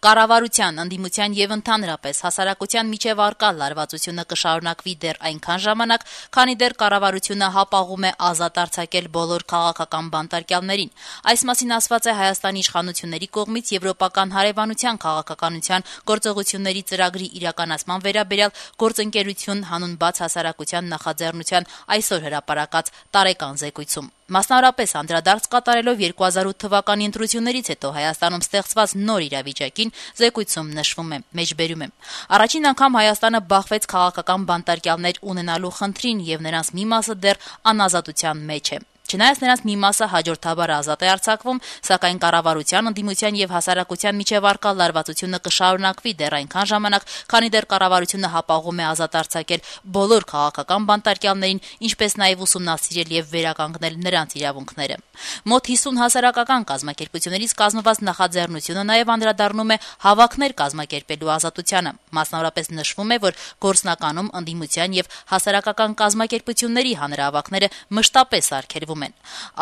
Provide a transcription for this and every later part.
Կառավարության, ընդդիմության եւ ընդհանրապես հասարակության միջև առկա լարվածությունը կշարունակվի դեռ այնքան ժամանակ, քանի դեռ կառավարությունը հապաղում է ազատ արձակել բոլոր քաղաքական բանտարկյալներին։ Այս մասին ասված է Հայաստանի իշխանությունների կողմից Եվրոպական հարևանության քաղաքականության գործողությունների ծրագրի իրականացման վերաբերյալ գործընկերություն հանուն բաց հասարակության նախաձեռնության այսօր հրապարակած տարեկան զեկույցում։ Մասնավորապես անդրադարձ կատարելով 2008 թվականի ընտրություններից հետո Հայաստանում ստեղծված նոր իրավիճակին զեկույցում նշվում է, մեջբերում է. Առաջին անգամ Հայաստանը բախվեց քաղաքական բանտարկյալներ ունենալու խնդրին եւ նրանց մի մասը դեռ անազատության մեջ է։ Չնայած նրանց մի մասը հաջորդաբար ազատ է արձակվում, սակայն կառավարության, ընդդիմության եւ հասարակության միջև առկա լարվածությունը կշարունակվի դեռ այնքան ժամանակ, քանի դեռ կառավարությունը հապաղում է ազատ արձակել բոլոր քաղաքական բանտարկյալներին, ինչպես նաեւ ուսումնասիրել եւ վերականգնել նրանց իրավունքները։ Մոտ 50 հասարակական կազմակերպություններից կազմված նախաձեռնությունը նաեւ անդրադառնում է հավաքներ կազմակերպելու ազատությանը։ Մասնավորապես նշվում է, որ գործնականում ընդդիմության եւ հասարակական կազմակերպությունների հանրահավաքները մշտապես արգելվում են։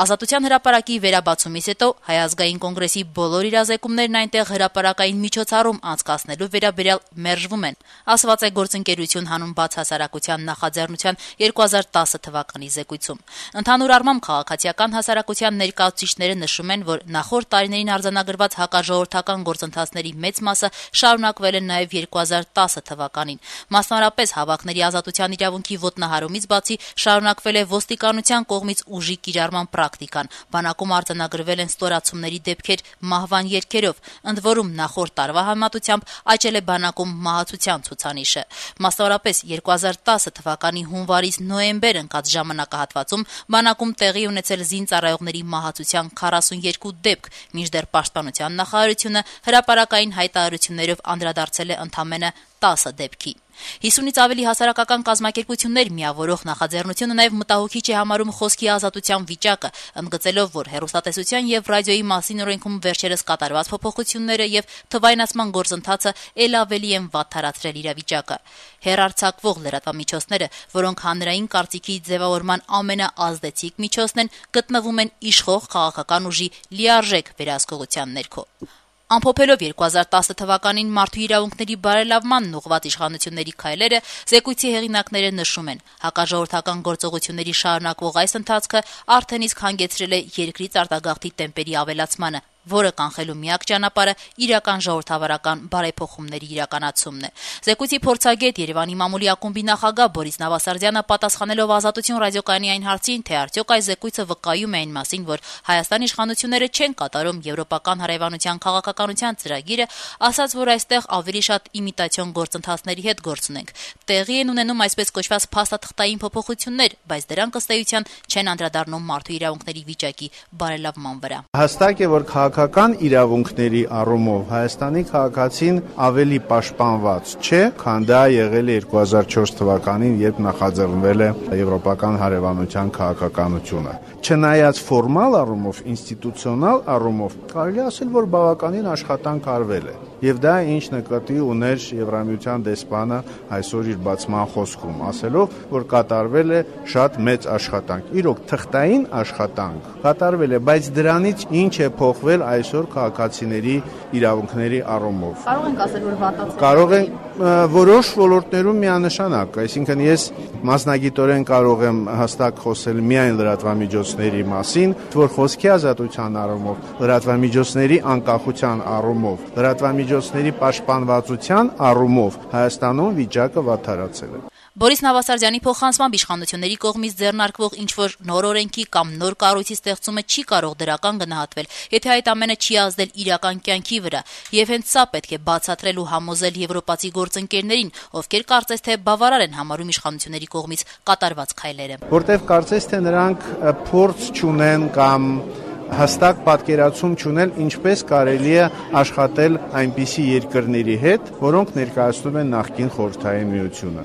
Ազատության հրապարակի վերաբացումից հետո Հայ ազգային կոնգրեսի բոլոր իրազեկումներն այնտեղ հրապարակային միջոցառում անցկացնելու վերաբերյալ մերժվում են, ասված է գործընկերություն հանուն բաց հասարակության նախաձեռնության 2010 թվականի զեկույցում։ Ընդհանուր առմամբ քաղաքացիական հասարակության ներկայացուցիչները նշում են, որ նախորդ տարիներին արձանագրված հակաժողովրդական գործընթացների մեծ մասը շարունակվել են նաև 2010 թվականին։ Մասնավորապես հավաքների ազատության իրավունքի ոտնահարումից բացի շարունակվել է ոստիկանության կողմից ուժի կիրառման պրակտիկան, բանակում արձանագրվել են ստորացումների դեպքեր մահվան երգերով, ընդ որում նախորդ տարվա համեմատությամբ աճել է բանակում մահացության ցուցանիշը։ Մասնավորապես 2010 թվականի հունվարից նոյեմբեր ընկած ժամանակահատվածում բանակում տեղի ունեցել զինծառայողների մահացության 42 դեպք, մինչդեռ Պաշտպանության նախարարությունը հրապարակային հայտարարություններով անդրադարձել է ընդամենը 10 դեպքի։ 50-ից ավելի հասարակական կազմակերպություններ միավորող նախաձեռնությունը նաև մտահոգիչ է համարում խոսքի ազատության վիճակը, ընդգծելով, որ հեռուստատեսության եւ ռադիոյի մասին օրենքում վերջերս կատարված փոփոխությունները եւ թվայնացման գործընթացը ել ավելի են վատթարացրել իրավիճակը։ Հեռարձակվող լրատվամիջոցները, որոնք հանրային կարծիքի ձևավորման ամենաազդեցիկ միջոցն են, գտնվում են իշխող քաղաքական ուժի լիարժեք վերահսկողության ներքո։ Ամփոփելով 2010 թվականին մարդու իրավունքների բարելավմանն ուղղված իշխանությունների քայլերը, զեկույցի հեղինակները նշում են, հակաժողովրդական գործողությունների շարունակվող այս ընթացքը արդեն իսկ հանգեցրել է երկրից արտագաղթի տեմպերի ավելացմանը, որը կանխելու միակ ճանապարհը իրական ժողովրդավարական բարեփոխումների իրականացումն է։ Զեկույցի փորձագետ Երևանի մամուլի ակումբի նախագահ Բորիս Նավասարդյանը պատասխանելով Ազատություն ռադիոկայանի այն հարցին, թե արդյոք այս զեկույցը վկայում է այն մասին, որ Հայաստանի իշխանությունները չեն կատարում Եվրոպական հարևանության քաղաքականության ծրագիրը, ասաց, որ այստեղ ավելի շատ իմիտացիոն գործընթացների հետ գործ ունենք։ Տեղի են ունենում այսպես կոչված փաստաթղթային փոփոխություններ, բայց դրանք ըստ էության չեն անդրադառնում մարդու իրավունքների վիճակի բարելավման վրա։ Հստակ է, որ քաղաքական իրավունքների առումով Հայաստանի քաղաքացին ավելի պաշտպանված չէ, քան դա եղել է 2004 թվականին, երբ նախաձեռնվել է Եվրոպական հարևանության քաղաքականությունը։ Չնայած ֆորմալ առումով, ինստիտուցիոնալ առումով կարելի ասել, որ բավականին աշխատանք արվել է։ Եվ դա ինչ նկատի ուներ Եվրամիության դեսպանը այսօր իր բացման խոսքում, ասելով, որ կատարվել է շատ մեծ աշխատանք։ Իրոք թղթային աշխատանք կատարվել է, բայց դրանից ինչ է փոխվել այսօր քաղաքացիների իրավունքների առումով։ Կարող ենք ասել, որ վատացել է։ Կարող են որոշ ոլորտներում միանշանակ, այսինքն ես մասնագիտորեն կարող եմ հստակ խոսել միայն լրատվամիջոցների մասին, որ խոսքի ազատության առումով, լրատվամիջոցների անկախության առումով, լրատվամիջոցների պաշտպանվածության առումով Հայաստանում վիճակը վատթարացել է։ Բորիս Նավասարդյանի փոխանցմամբ իշխանությունների կողմից ձեռնարկվող ինչ-որ նոր օրենքի կամ նոր կառույցի ստեղծումը չի կարող դրական գնահատվել, եթե այդ ամենը չի ազդել իրական կյանքի վրա, եւ հենց սա պետք է բացատրել ու համոզել եվրոպացի գործընկերներին, ովքեր կարծես թե բավարար են համարում իշխանությունների կողմից կատարված քայլերը։ Որտեւ կարծես թե նրանք փորձ չունեն կամ հստակ պատկերացում չունել, ինչպես կարելի է աշխատել այնպիսի երկրների հետ, որոնք ներկայացնում են նախկին Խորհրդային Միությունը։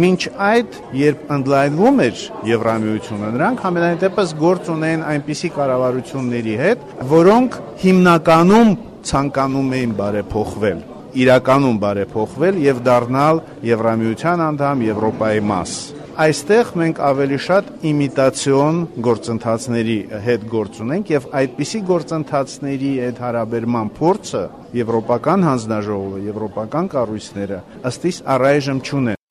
Մինչ այդ, երբ ընդլայնվում էր Եվրամիությունը, նրանք համենայն դեպս գործ ունեն այնպիսի կառավարությունների հետ, որոնք հիմնականում ցանկանում էին բարեփոխվել, իրականում բարեփոխվել եւ դառնալ Եվրամիության անդամ, Եվրոպայի մաս։ Այստեղ մենք ավելի շատ իմիտացիոն գործընթացների հետ գործ ունենք եւ այդպիսի գործընթացների այդ հարաբերման փորձը Եվրոպական հանձնաժողովը, եվրոպական կառույցները ըստ իս առայժմ չունեն։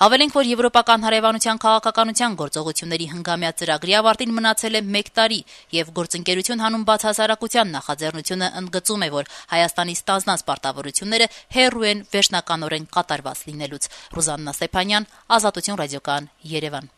Հավելենք, որ Եվրոպական հարևանության քաղաքականության գործողությունների հնգամյա ծրագրի ավարտին մնացել է 1 տարի, եւ գործընկերություն հանուն բացահասարակության նախաձեռնությունը ընդգծում է, որ Հայաստանի ստանձնած պարտավորությունները հեռու են վերջնականորեն կատարված լինելուց։ Ռուզաննա Ստեփանյան, Ազատություն ռադիոկայան, Երևան։